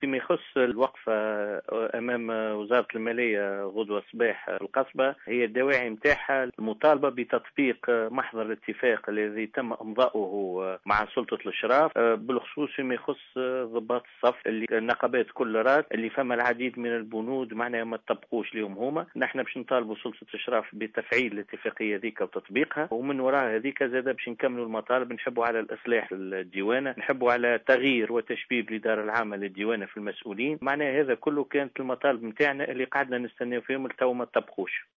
فيما يخص الوقفة أمام وزارة المالية غدوة الصباح القصبة، هي الدواعي متاعها المطالبة بتطبيق محضر الاتفاق الذي تم إمضاؤه مع سلطة الإشراف، بالخصوص فيما يخص ضباط الصف اللي النقابات كل رات اللي فما العديد من البنود معناها ما تطبقوش لهم هما. نحن باش نطالبوا سلطة الإشراف بتفعيل الاتفاقية ذيك وتطبيقها، ومن وراء هذيك زاد باش نكملوا المطالب. نحبوا على الإصلاح الديوانة، نحبوا على تغيير وتشبيب الإدارة العامة للديوانة في المسؤولين. معناها هذا كله كانت المطالب نتاعنا اللي قعدنا نستناو فيهم لتو ما تطبقوش.